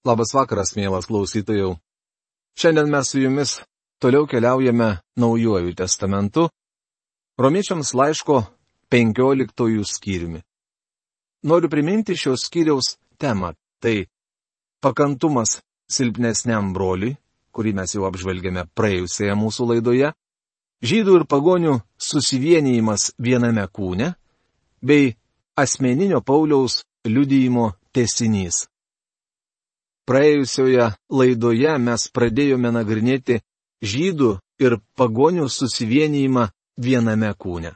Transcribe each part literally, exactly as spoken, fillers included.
Labas vakaras, mielas klausytojau. Šiandien mes su jumis toliau keliaujame Naujuoju testamentu, Romiečiams laiško penkioliktojų skyriumi. Noriu priminti šios skyriaus temą. Tai pakantumas silpnesniam broliui, kurį mes jau apžvelgėme praėjusioje mūsų laidoje, žydų ir pagonių susivienijimas viename kūne, bei asmeninio Pauliaus liudijimo tęsinys. Praėjusioje laidoje mes pradėjome nagrinėti žydų ir pagonių susivienijimą viename kūne.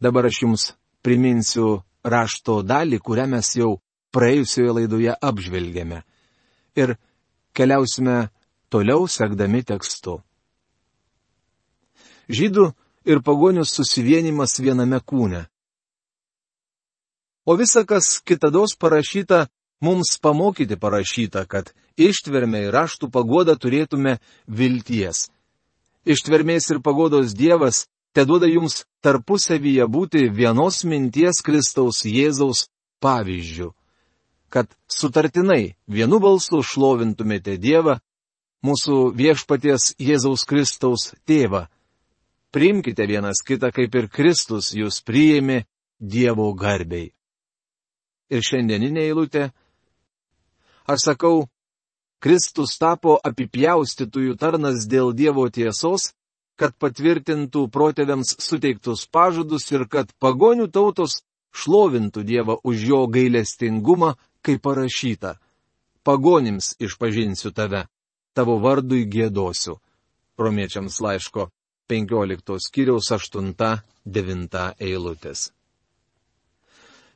Dabar aš jums priminsiu rašto dalį, kurią mes jau praėjusioje laidoje apžvelgėme. Ir keliausime toliau sekdami tekstu. Žydų ir pagonių susivienijimas viename kūne. O visa, kas kitados parašyta, mums pamokyti parašyta, kad ištvermė ir raštų pagoda turėtume vilties. Ištvermės ir pagodos Dievas teduoda jums tarpusavyje būti vienos minties Kristaus Jėzaus pavyzdžių, kad sutartinai vienu balsu šlovintumėte Dievą, mūsų viešpaties Jėzaus Kristaus tėvą. Priimkite vienas kitą, kaip ir Kristus jūs priėmė Dievo garbei. Ir šiandieninė eilutė. Aš sakau, Kristus tapo apipjaustytųjų tarnas dėl Dievo tiesos, kad patvirtintų protėviams suteiktus pažadus ir kad pagonių tautos šlovintų Dievą už jo gailestingumą, kaip parašyta. Pagonims išpažinsiu tave, tavo vardui giedosiu. Romiečiams laiško penkioliktos skyriaus aštunta devinta eilutės.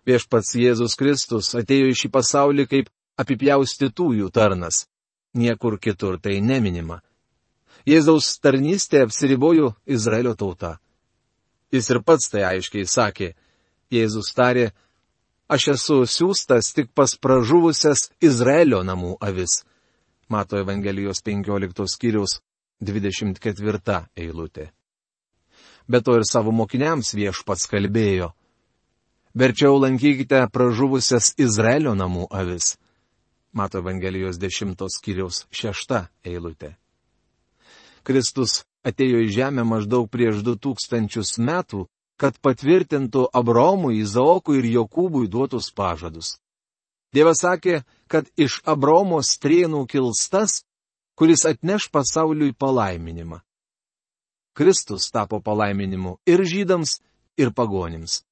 Viešpats Jėzus Kristus atėjo į šį pasaulį kaip apipjaustytųjų tarnas. Niekur kitur tai neminima. Jėzaus tarnystė apsiribojo Izraelio tauta. Jis ir pats tai aiškiai sakė. Jėzus tarė, aš esu siųstas tik pas pražuvusias Izraelio namų avis. Mato Evangelijos penkioliktos skyriaus dvidešimt ketvirta eilutė. Be to ir savo mokiniams viešpats kalbėjo. Verčiau lankykite pražuvusias Izraelio namų avis. Mato Evangelijos dešimtos skyriaus šešta eilutė. Kristus atėjo į žemę maždaug prieš du tūkstančius metų, kad patvirtintų Abraomui, Izaokui ir Jokūbui duotus pažadus. Dievas sakė, kad iš Abraomo strėnų kils tas, kuris atneš pasauliui palaiminimą. Kristus tapo palaiminimu ir žydams, ir pagonims.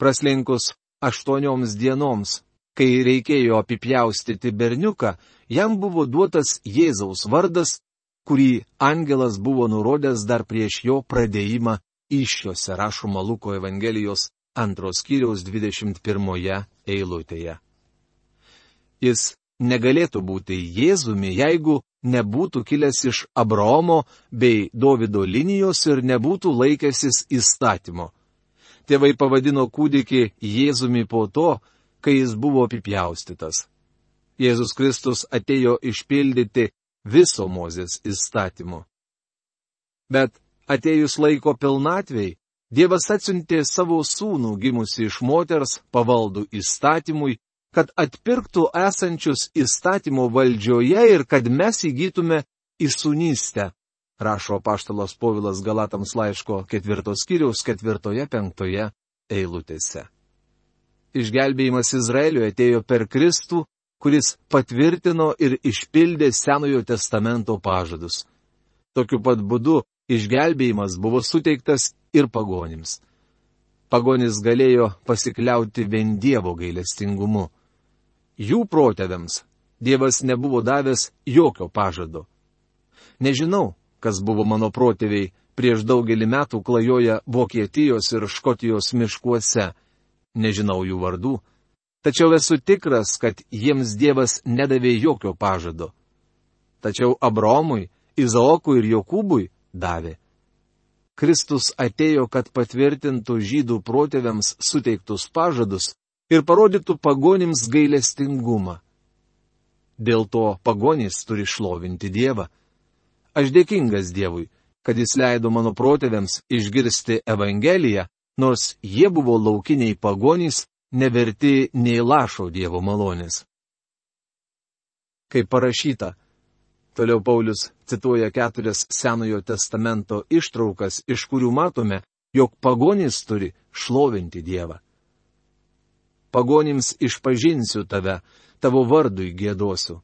Praslinkus aštuonioms dienoms, kai reikėjo apipjaustyti berniuką, jam buvo duotas Jėzaus vardas, kurį angelas buvo nurodęs dar prieš jo pradėjimą įsčiose, rašoma Luko Evangelijos antros skyriaus dvidešimt pirmoje eilutėje. Jis negalėtų būti Jėzumi, jeigu nebūtų kilęs iš Abraomo bei Dovido linijos ir nebūtų laikęsis įstatymo. Tėvai pavadino kūdikį Jėzumi po to, kai jis buvo apipjaustytas. Jėzus Kristus atėjo išpildyti viso Mozės įstatymo. Bet atėjus laiko pilnatvei, Dievas atsiuntė savo sūnų gimusi iš moters pavaldų įstatymui, kad atpirktų esančius įstatymo valdžioje ir kad mes įgytume įsūnystę. Rašo apaštalas Povilas Galatams laiško ketvirtos skyriaus ketvirtoje penktoje eilutėse. Išgelbėjimas Izraeliui atėjo per Kristų, kuris patvirtino ir išpildė Senojo testamento pažadus. Tokiu pat būdu išgelbėjimas buvo suteiktas ir pagonims. Pagonis galėjo pasikliauti vien Dievo gailestingumu. Jų protėviams Dievas nebuvo davęs jokio pažado. Nežinau, kas buvo mano protėviai prieš daugelį metų klajoja Vokietijos ir Škotijos miškuose. Nežinau jų vardų, tačiau esu tikras, kad jiems Dievas nedavė jokio pažado. Tačiau Abraomui, Izaokui ir Jokūbui davė. Kristus atėjo, kad patvirtintų žydų protėviams suteiktus pažadus ir parodytų pagonims gailestingumą. Dėl to pagonys turi šlovinti Dievą. Aš dėkingas Dievui, kad jis leido mano protėviams išgirsti Evangeliją, nors jie buvo laukiniai pagonys, neverti nei lašo Dievo malonės. kaip parašyta. Toliau Paulius cituoja keturias Senojo testamento ištraukas, iš kurių matome, jog pagonys turi šlovinti Dievą. Pagonims išpažinsiu tave, tavo vardui giedosiu.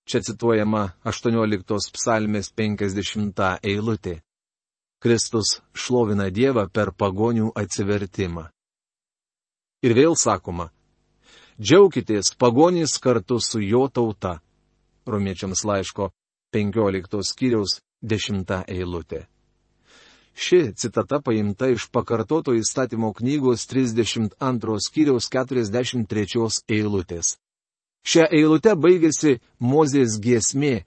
Čia cituojama aštuonioliktos psalmės penkiasdešimta eilutė. Kristus šlovina Dievą per pagonių atsivertimą. Ir vėl sakoma, džiaukitės pagonys kartu su jo tauta. Romiečiams laiško penkioliktos skyriaus dešimta eilutė. Ši citata paimta iš pakartoto įstatymo knygos trisdešimt antros skyriaus keturiasdešimt trečios eilutės. Šią eilutę baigėsi Mozės giesmė,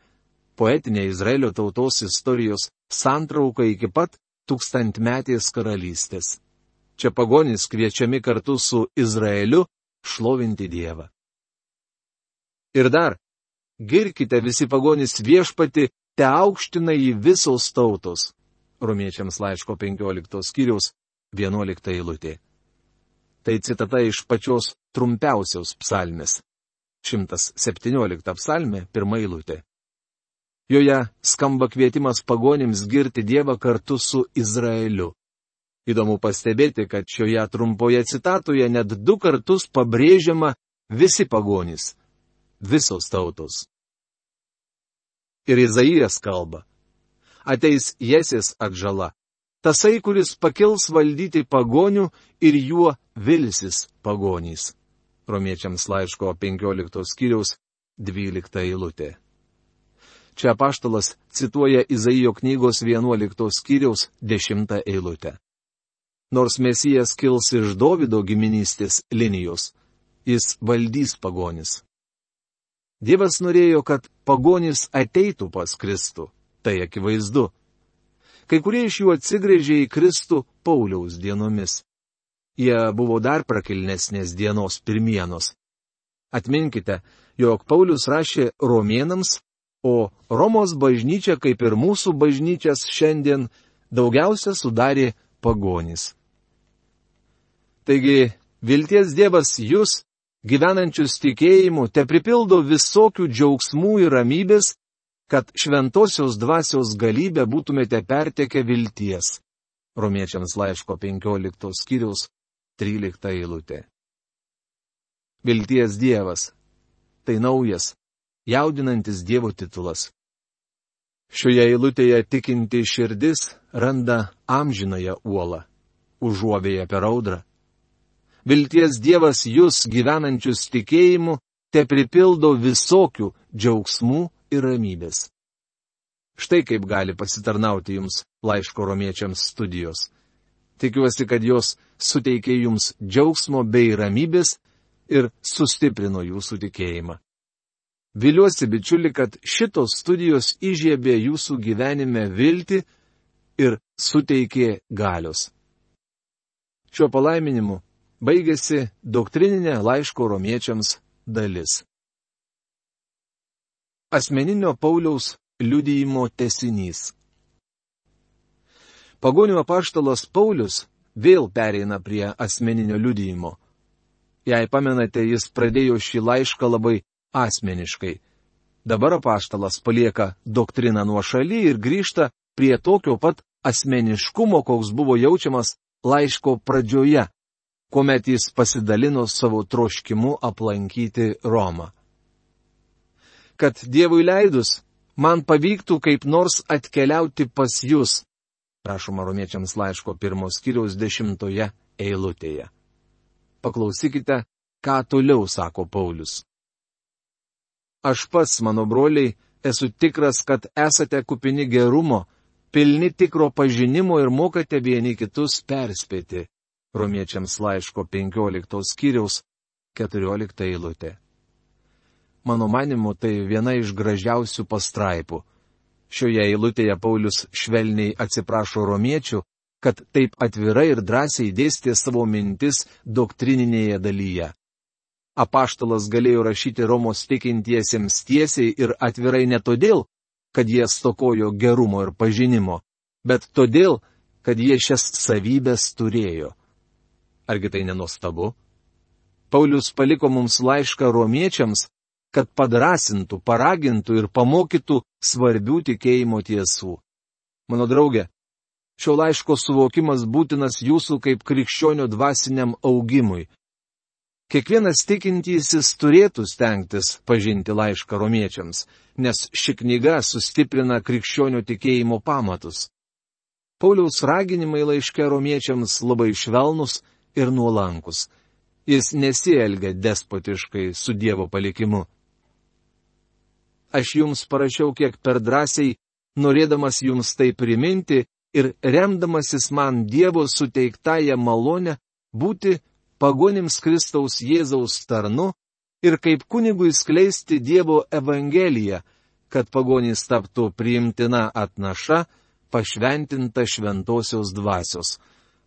poetinė Izraelio tautos istorijos santrauka iki pat tūkstantmetės karalystės. Čia pagonys kviečiami kartu su Izraeliu šlovinti Dievą. Ir dar, girkite visi pagonys viešpatį, te aukština jį visos tautos. Romiečiams laiško penkioliktos skyriaus vienuolikta eilutė. Tai citata iš pačios trumpiausios psalmės. šimtas septyniolikta psalmė, pirma eilutė. Joje skamba kvietimas pagonims girti Dievą kartu su Izraeliu. Įdomu pastebėti, kad šioje trumpoje citatoje net du kartus pabrėžiama visi pagonys, visos tautos. Ir Izaijas kalba. Ateis Jesės atžala, tasai, kuris pakils valdyti pagonių ir juo vilsis pagonys. Romiečiams laiško penkioliktos skyriaus dvylikta eilutė. Čia apaštalas cituoja Izaijo knygos vienuoliktos skyriaus dešimtą eilutę. Nors Mesijas kils iš Dovydo giminystės linijos, jis valdys pagonis. Dievas norėjo, kad pagonys ateitų pas Kristų. Tai akivaizdu. Kai kurie iš jų atsigrėžė į Kristų Pauliaus dienomis. Jie buvo dar prakilnesnės dienos pirmienos. Atminkite, jog Paulius rašė romėnams, o Romos bažnyčia, kaip ir mūsų bažnyčias šiandien, daugiausia sudarė pagonys. Taigi, vilties Dievas jūs, gyvenančius tikėjimu, te pripildo visokių džiaugsmų ir ramybės, kad šventosios dvasios galybę būtumėte pertekę vilties. Romiečiams laiško penkioliktos skyriaus trylikta eilutė. Vilties Dievas. Tai naujas, jaudinantis Dievo titulas. Šioje eilutėje tikinti širdis randa amžinąją uolą, užuovėja per audrą. Vilties Dievas jūs, gyvenančius tikėjimu, te pripildo visokių džiaugsmų ir ramybės. Štai kaip gali pasitarnauti jums laiško romiečiams studijos. Tikiuosi, kad jos suteikė jums džiaugsmo bei ramybės ir sustiprino jūsų tikėjimą. Viliuosi, bičiuli, kad šitos studijos įžiebė jūsų gyvenime viltį ir suteikė galios. Šiuo palaiminimu baigėsi doktrininė laiško romiečiams dalis. Asmeninio Pauliaus liudijimo tęsinys. Pagonių apaštalas Paulius vėl pereina prie asmeninio liudijimo. Jei pamenate, jis pradėjo šį laišką labai asmeniškai. Dabar apaštalas palieka doktriną nuošaly ir grįžta prie tokio pat asmeniškumo, koks buvo jaučiamas laiško pradžioje, kuomet jis pasidalino savo troškimu aplankyti Romą. Kad Dievui leidus, man pavyktų kaip nors atkeliauti pas jūs, prašoma romiečiams laiško pirmos skyriaus dešimtoje eilutėje. Paklausykite, ką toliau sako Paulius. Aš pats, mano broliai, esu tikras, kad esate kupini gerumo, pilni tikro pažinimo ir mokate vieni kitus perspėti. Romiečiams laiško penkioliktos skyriaus keturiolikta eilutė. Mano manimu, tai viena iš gražiausių pastraipų. Šioje eilutėje Paulius švelniai atsiprašo romiečių, kad taip atvirai ir drąsiai dėstė savo mintis doktrininėje dalyje. Apaštalas galėjo rašyti Romos tikintiesiems tiesiai ir atvirai ne todėl, kad jie stokojo gerumo ir pažinimo, bet todėl, kad jie šias savybes turėjo. Argi tai nenuostabu? Paulius paliko mums laišką romiečiams, kad padrasintų, paragintų ir pamokytų svarbių tikėjimo tiesų. Mano draugė, šio laiško suvokimas būtinas jūsų kaip krikščionių dvasiniam augimui. Kiekvienas tikintysis turėtų stengtis pažinti laišką romiečiams, nes ši knyga sustiprina krikščionių tikėjimo pamatus. Pauliaus raginimai laiške romiečiams labai švelnus ir nuolankus. Jis nesielgia despotiškai su Dievo palikimu. Aš jums parašiau kiek per drąsiai, norėdamas jums tai priminti ir remdamasis man Dievo suteiktąją malonę būti pagonims Kristaus Jėzaus tarnu ir kaip kunigui skleisti Dievo evangeliją, kad pagonys taptų priimtina atnaša, pašventinta šventosios dvasios.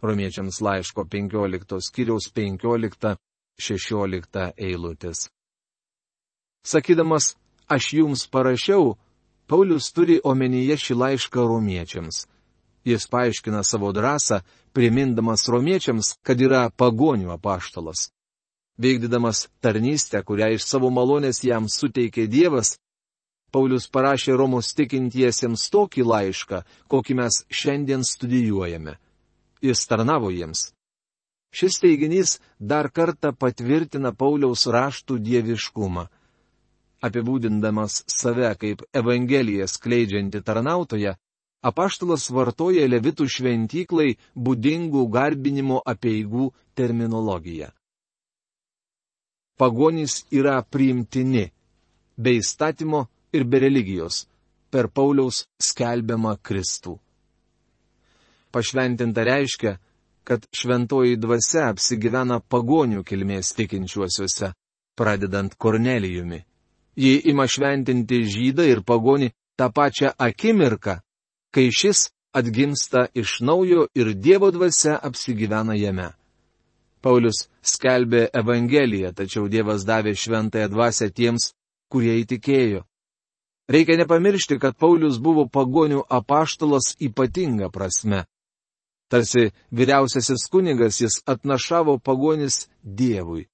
Romiečiams laiško penkioliktos skyriaus penkiolikta šešiolikta eilutės. Sakydamas, aš jums parašiau, Paulius turi omenyje šį laišką romiečiams. Jis paaiškina savo drąsą, primindamas romiečiams, kad yra pagonių apaštalas. Veikdydamas tarnystę, kurią iš savo malonės jam suteikė Dievas, Paulius parašė Romos tikintiesiems tokį laišką, kokį mes šiandien studijuojame. Jis tarnavo jiems. Šis teiginys dar kartą patvirtina Pauliaus raštų dieviškumą. Apibūdindamas save kaip evangeliją skleidžiantį tarnautoją, apaštalas vartoja levitų šventyklai būdingų garbinimo apeigų terminologiją. Pagonys yra priimtini, be įstatymo ir be religijos, per Pauliaus skelbiamą Kristų. Pašventinta reiškia, kad šventoji dvasia apsigyvena pagonių kilmės tikinčiuosiuose, pradedant Kornelijumi. Ji ima šventinti žydą ir pagonį tą pačią akimirką, kai šis atgimsta iš naujo ir Dievo dvasia apsigyvena jame. Paulius skelbė evangeliją, tačiau Dievas davė šventąją dvasią tiems, kurie įtikėjo. Reikia nepamiršti, kad Paulius buvo pagonių apaštalas ypatinga prasme. Tarsi vyriausiasis kunigas jis atnašavo pagonis Dievui.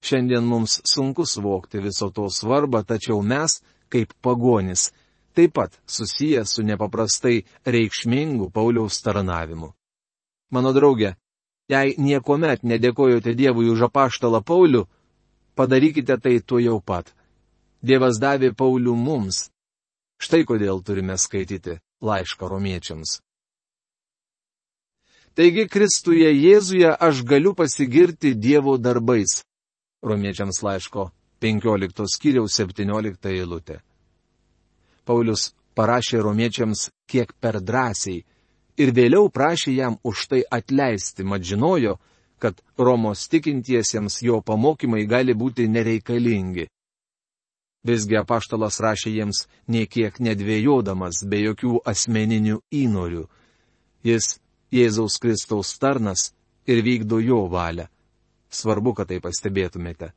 Šiandien mums sunku suvokti viso to svarbą, tačiau mes, kaip pagonis, taip pat susiję su nepaprastai reikšmingu Pauliaus tarnavimu. Mano draugė, jei niekuomet nedėkojote Dievui už apaštalą Paulių, padarykite tai tuojau pat. Dievas davė Paulių mums. Štai kodėl turime skaityti laišką romiečiams. Taigi Kristuje Jėzuje aš galiu pasigirti Dievo darbais. Romiečiams laiško penkioliktos skyriaus septyniolikta eilutė. Paulius parašė romiečiams kiek per drąsiai ir vėliau prašė jam už tai atleisti, mat žinojo, kad Romos tikintiesiems jo pamokymai gali būti nereikalingi. Visgi apaštalas rašė jiems niekiek nedvėjodamas, be jokių asmeninių įnorių. Jis Jėzaus Kristaus tarnas ir vykdo jo valią. Svarbu, kad tai pastebėtumėte.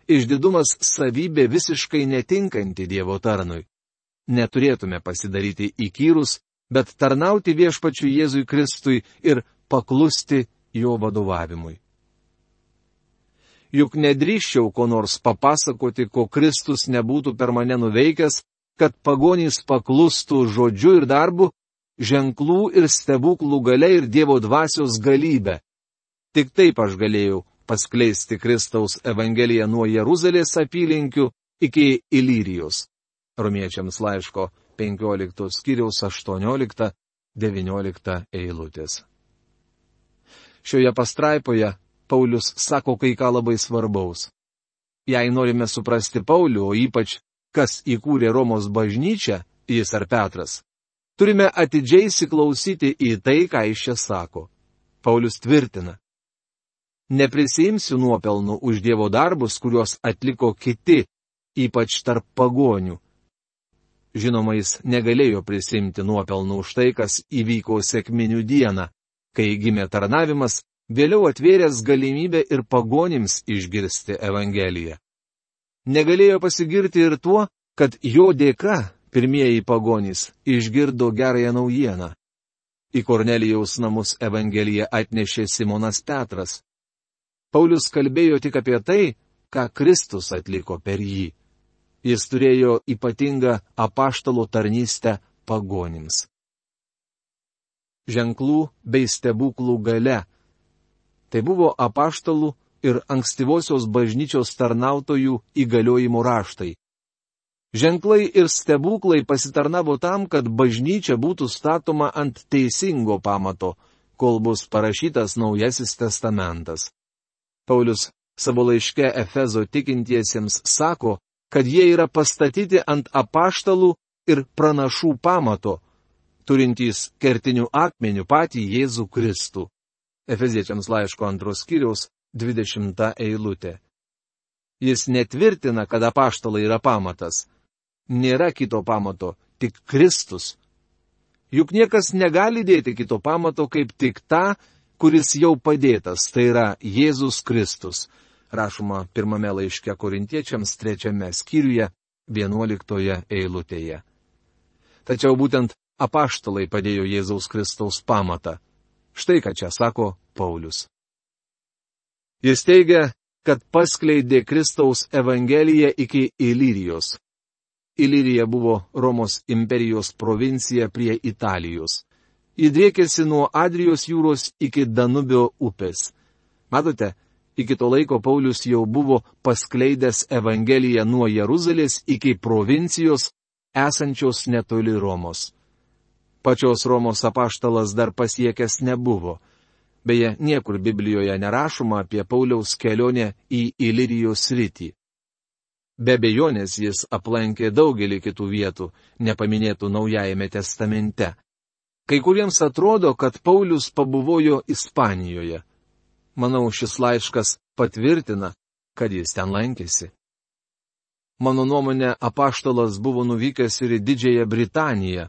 Išdidumas savybė visiškai netinkanti Dievo tarnui. Neturėtume pasidaryti įkyrus, bet tarnauti viešpačiui Jėzui Kristui ir paklusti jo vadovavimui. Juk nedrįščiau ko nors papasakoti, ko Kristus nebūtų per mane nuveikęs, kad pagonys paklustų žodžiu ir darbu, ženklų ir stebuklų galia ir Dievo dvasios galybė. Tik taip aš galėjau paskleisti Kristaus evangeliją nuo Jeruzalės apylinkių iki Ilirijos. Romiečiams laiško penkioliktos skyriaus aštuoniolikta devyniolikta eilutės. Šioje pastraipoje Paulius sako kai ką labai svarbaus. Jei norime suprasti Paulių, o ypač kas įkūrė Romos bažnyčią, jis ar Petras, turime atidžiai įsiklausyti į tai, ką jis čia sako. Paulius tvirtina: neprisiimsiu nuopelnų už Dievo darbus, kuriuos atliko kiti, ypač tarp pagonių. Žinoma, jis negalėjo prisimti nuopelnų už tai, kas įvyko sekminių dieną, kai gimė tarnavimas, vėliau atvėręs galimybę ir pagonims išgirsti Evangeliją. Negalėjo pasigirti ir tuo, kad jo dėka pirmieji pagonys išgirdo gerąją naujieną. Į Kornelijaus namus Evangeliją atnešė Simonas Petras. Paulius kalbėjo tik apie tai, ką Kristus atliko per jį. Jis turėjo ypatingą apaštalo tarnystę pagonims. Ženklų bei stebuklų galia. Tai buvo apaštalų ir ankstyvosios bažnyčios tarnautojų įgaliojimo raštai. Ženklai ir stebuklai pasitarnavo tam, kad bažnyčia būtų statoma ant teisingo pamato, kol bus parašytas Naujasis testamentas. Paulius savo laiške Efezo tikintiesiems sako, kad jie yra pastatyti ant apaštalų ir pranašų pamato, turintys kertinių akmenių patį Jėzų Kristų. Efeziečiams laiško antros skyriaus dvidešimta eilutė. Jis netvirtina, kad apaštalai yra pamatas. Nėra kito pamato, tik Kristus. Juk niekas negali dėti kito pamato kaip tik tą, kuris jau padėtas, tai yra Jėzus Kristus. Rašoma pirmame laiške Korintiečiams trečiame skyriuje vienuoliktoje eilutėje. Tačiau būtent apaštalai padėjo Jėzaus Kristaus pamatą. Štai ką čia sako Paulius. Jis teigia, kad paskleidė Kristaus evangeliją iki Ilirijos. Ilirija buvo Romos imperijos provincija prie Italijos. Ji driekėsi nuo Adrijos jūros iki Danubio upės. Matote, iki to laiko Paulius jau buvo paskleidęs evangeliją nuo Jeruzalės iki provincijos esančios netoli Romos. Pačios Romos apaštalas dar pasiekęs nebuvo. Beje, niekur Biblijoje nerašoma apie Pauliaus kelionę į Ilirijos sritį. Be abejonės jis aplankė daugelį kitų vietų, nepaminėtų Naujajame testamente. Kai kuriems atrodo, kad Paulius pabuvojo Ispanijoje. Manau, šis laiškas patvirtina, kad jis ten lankėsi. Mano nuomonė, apaštalas buvo nuvykęs ir į Didžiąją Britaniją,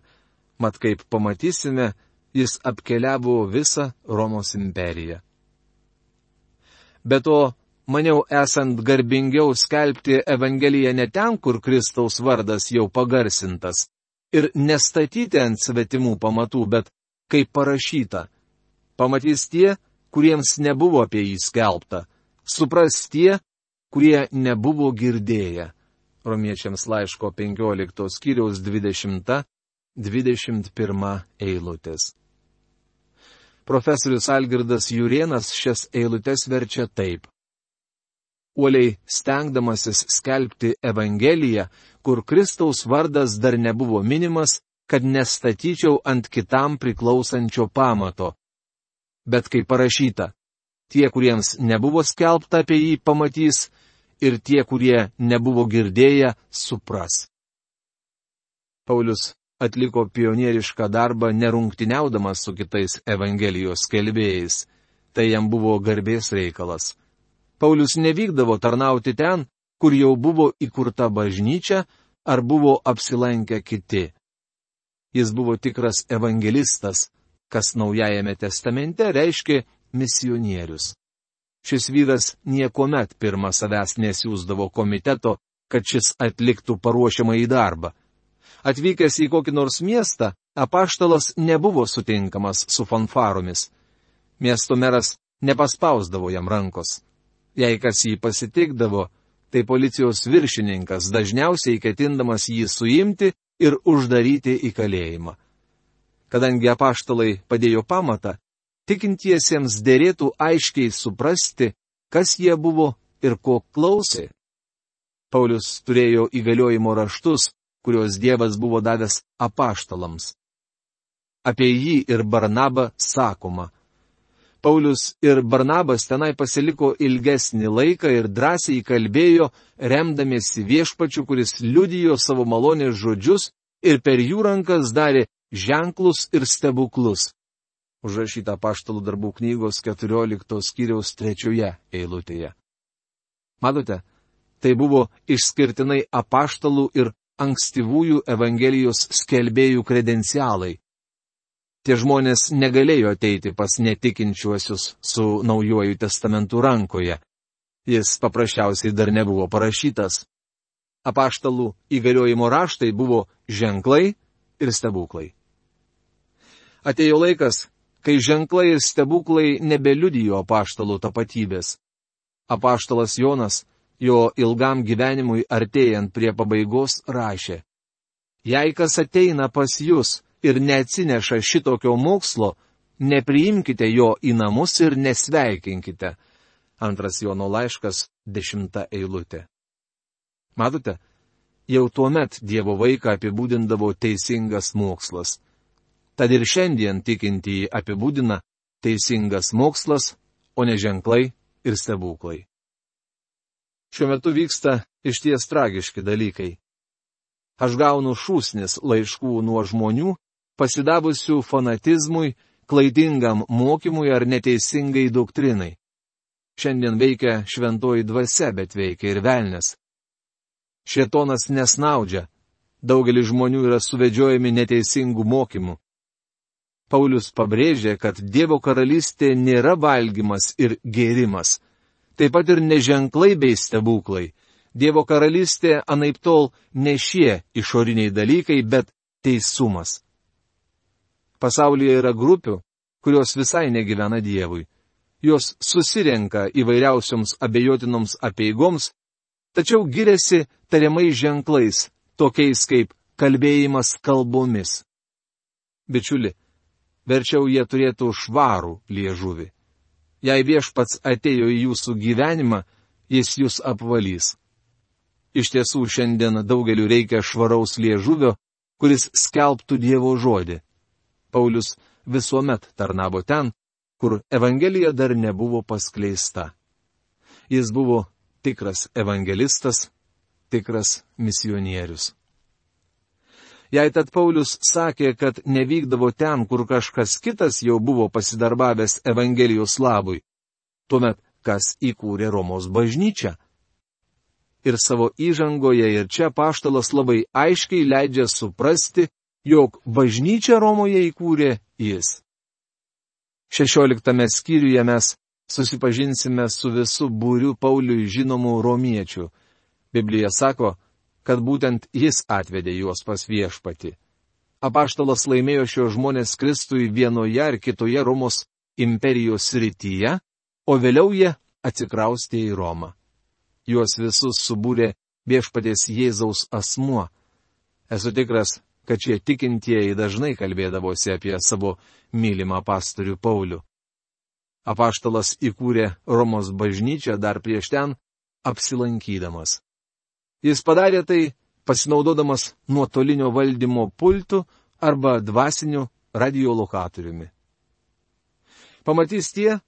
mat kaip pamatysime, jis apkeliavo visą Romos imperiją. Be to, maniau esant garbingiau skelbti Evangeliją ne ten, kur Kristaus vardas jau pagarsintas, ir nestatyti ant svetimų pamatų, bet kaip parašyta. Pamatys tie, kuriems nebuvo apie jį skelbta, supras tie, kurie nebuvo girdėję. Romiečiams laiško penkioliktos skyriaus dvidešimta dvidešimt pirma eilutės. Profesorius Algirdas Jurėnas šias eilutes verčia taip. Uoliai stengdamasis skelbti Evangeliją, kur Kristaus vardas dar nebuvo minimas, kad nestatyčiau ant kitam priklausančio pamato. Bet kaip parašyta, tie, kuriems nebuvo skelbta apie jį, pamatys, ir tie, kurie nebuvo girdėję, supras. Paulius atliko pionierišką darbą nerungtyniaudamas su kitais Evangelijos skelbėjais. Tai jam buvo garbės reikalas. Paulius nevykdavo tarnauti ten, kur jau buvo įkurta bažnyčia ar buvo apsilankę kiti. Jis buvo tikras evangelistas, kas Naujajame testamente reiškia misionierius. Šis vyras niekuomet pirmą savęs nesiųsdavo komiteto, kad šis atliktų paruošiamąjį darbą. Atvykęs į kokį nors miestą, apaštalas nebuvo sutinkamas su fanfaromis. Miesto meras nepaspausdavo jam rankos. Jei kas jį pasitikdavo, tai policijos viršininkas, dažniausiai ketindamas jį suimti ir uždaryti į kalėjimą. Kadangi apaštalai padėjo pamatą, tikintiesiems dėrėtų aiškiai suprasti, kas jie buvo ir ko klausė. Paulius turėjo įgaliojimo raštus, kuriuos Dievas buvo davęs apaštalams. Apie jį ir Barnabą sakoma. Paulius ir Barnabas tenai pasiliko ilgesnį laiką ir drąsiai kalbėjo, remdamiesi viešpačiu, kuris liudijo savo malonės žodžius ir per jų rankas darė ženklus ir stebuklus. Užrašyta apaštalų darbų knygos keturioliktos skyriaus trečioje eilutėje. Matote, tai buvo išskirtinai apaštalų ir ankstyvųjų Evangelijos skelbėjų kredencialai. Tie žmonės negalėjo ateiti pas netikinčiuosius su Naujuoju testamentu rankoje. Jis paprasčiausiai dar nebuvo parašytas. Apaštalų įgaliojimo raštai buvo ženklai ir stebuklai. Atėjo laikas, kai ženklai ir stebuklai nebeliudijo apaštalų tapatybės. Apaštalas Jonas jo ilgam gyvenimui artėjant prie pabaigos rašė: Jei kas ateina pas jūs ir neatsineša šitokio mokslo, nepriimkite jo į namus ir nesveikinkite. Antras Jono laiškas, dešimta eilutė. Matote, jau tuomet Dievo vaiką apibūdindavo teisingas mokslas. Tad ir šiandien tikintieji apibūdina teisingas mokslas, o ne ženklai ir stebuklai. Šiuo metu vyksta išties tragiški dalykai. Aš gaunu šūsnis laiškų nuo žmonių, pasidavusių fanatizmui, klaidingam mokymui ar neteisingai doktrinai. Šiandien veikia šventoji dvasia, bet veikia ir velnias. Šėtonas nesnaudžia, daugelis žmonių yra suvedžiojami neteisingų mokymų. Paulius pabrėžė, kad Dievo karalystė nėra valgymas ir gėrimas, taip pat ir neženklai bei stebuklai. Dievo karalystė anaiptol ne šie išoriniai dalykai, bet teisumas. Pasaulyje yra grupių, kurios visai negyvena Dievui. Jos susirenka įvairiausioms abejotinoms apeigoms, tačiau giriasi tariamais ženklais, tokiais kaip kalbėjimas kalbomis. Bičiuli, verčiau jie turėtų švarų liežuvį. Jei viešpats atėjo į jūsų gyvenimą, jis jūs apvalys. Iš tiesų, šiandien daugeliu reikia švaraus liežuvio, kuris skelbtų Dievo žodį. Paulius visuomet tarnavo ten, kur Evangelija dar nebuvo paskleista. Jis buvo tikras evangelistas, tikras misionierius. Jei tad Paulius sakė, kad nevykdavo ten, kur kažkas kitas jau buvo pasidarbavęs Evangelijos labui, tuomet kas įkūrė Romos bažnyčią? Ir savo įžangoje ir čia apaštalas labai aiškiai leidžia suprasti, jog bažnyčią Romoje įkūrė jis. Šešioliktame skyriuje mes susipažinsime su visu būriu Pauliui žinomų romiečių. Biblija sako, kad būtent jis atvedė juos pas viešpatį. Apaštalas laimėjo šios žmonės Kristui vienoje ar kitoje Romos imperijos srityje, o vėliau jie atsikraustė į Romą. Juos visus subūrė viešpaties Jėzaus asmuo. Esu tikras, kad šie tikintieji dažnai kalbėdavosi apie savo mylimą pastorių Paulių. Apaštalas įkūrė Romos bažnyčią dar prieš ten apsilankydamas. Jis padarė tai pasinaudodamas nuotolinio valdymo pultu arba dvasiniu radiolokatoriumi. Pamatys tie,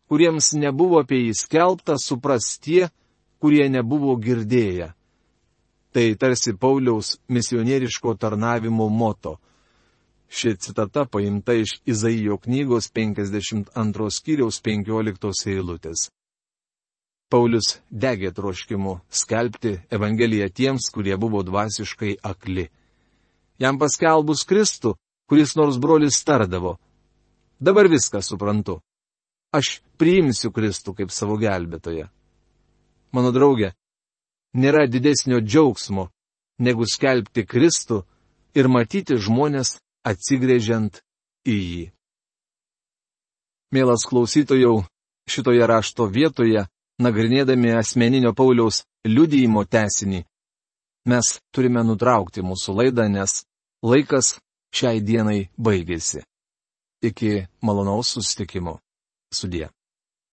kuriems nebuvo apie jį skelbta, supras tie, kurie nebuvo girdėję. Tai tarsi Pauliaus misionieriško tarnavimo moto. Ši citata paimta iš Izaijo knygos penkiasdešimt antros skyriaus penkioliktos eilutės. Paulius degė troškimu skelbti Evangeliją tiems, kurie buvo dvasiškai akli. Jam paskelbus Kristų, kuris nors brolis tardavo: dabar viską suprantu. Aš priimsiu Kristų kaip savo gelbėtoją. Mano draugė, nėra didesnio džiaugsmo, negu skelbti Kristų ir matyti žmonės atsigręžiant į jį. Mielas klausytojau, šitoje rašto vietoje, nagrinėdami asmeninio Pauliaus liudijimo tęsinį, mes turime nutraukti mūsų laidą, nes laikas šiai dienai baigėsi. Iki malonaus susitikimo. Sudie.